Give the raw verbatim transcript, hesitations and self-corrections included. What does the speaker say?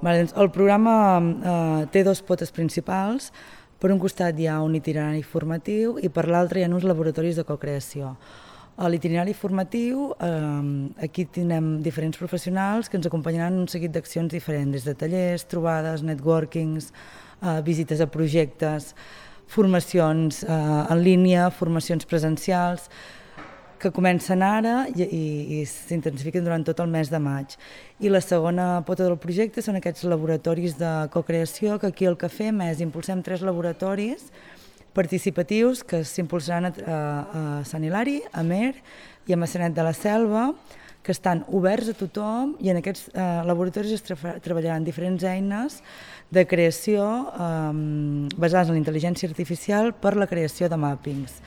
El programa eh, té dos potes principals. Per un costat hi ha un itinerari formatiu i per l'altre hi ha uns laboratoris de cocreació. A l'itinerari formatiu, eh, aquí tindrem diferents professionals que ens acompanyaran en un seguit d'accions diferents, des de tallers, trobades, networkings, eh, visites a projectes, formacions eh, en línia, formacions presencials, que comencen ara i, i, i s'intensifiquen durant tot el mes de maig. I la segona pota del projecte són aquests laboratoris de cocreació, que aquí el que fem és impulsem tres laboratoris participatius que s'impulsaran a, a, a Sant Hilari, a Amer i a Maçanet de la Selva, que estan oberts a tothom, i en aquests eh, laboratoris es tra treballaran diferents eines de creació eh, basades en la intel·ligència artificial per la creació de màppings.